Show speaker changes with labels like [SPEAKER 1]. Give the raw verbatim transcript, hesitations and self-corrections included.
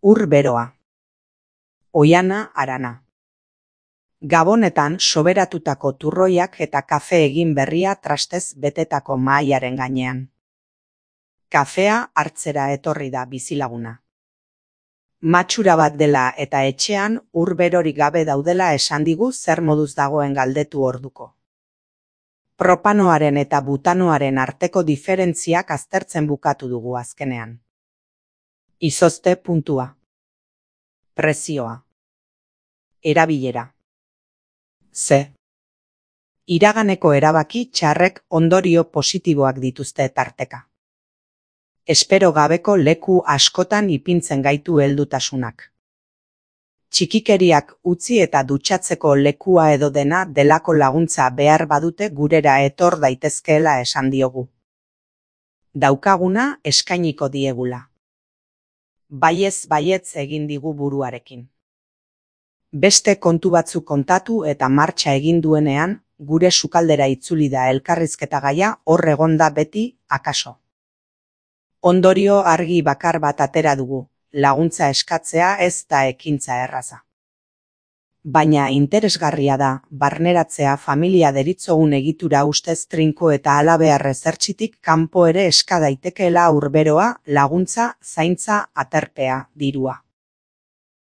[SPEAKER 1] Ur beroa. Oihana Arana. Gabonetan soberatutako turroiak eta kafe egin berria trastez betetako mahaiaren gainean. Kafea hartzera etorri da bizilaguna. Matxura bat dela eta etxean ur berorik gabe daudela esan digu zer moduz dagoen galdetu orduko. Propanoaren eta butanoaren arteko diferentziak aztertzen bukatu dugu azkenean. Izozte puntua. Prezioa. Erabilera. Ze. Iraganeko erabaki txarrek ondorio positiboak dituzte tarteka. Espero gabeko leku askotan ipintzen gaitu heldutasunak. Txikikeriak utzi eta dutxatzeko lekua edo dena delako laguntza behar badute gurera etor daitezkeela esan diogu. Daukaguna eskainiko diegula. Baiez baietz egin digu buruarekin. Beste kontu batzuk kontatu eta martxa egin duenean, gure sukaldera itzuli da elkarrizketa gaia hor egonda beti, akaso. Ondorio argi bakar bat atera dugu, laguntza eskatzea ez da ekintza erraza. Baina interesgarria da, barneratzea familia deritzogun egitura ustez trinko eta halabear ezertxitik kanpo ere eska daitekeela urberoa, laguntza, zaintza, aterpea, dirua.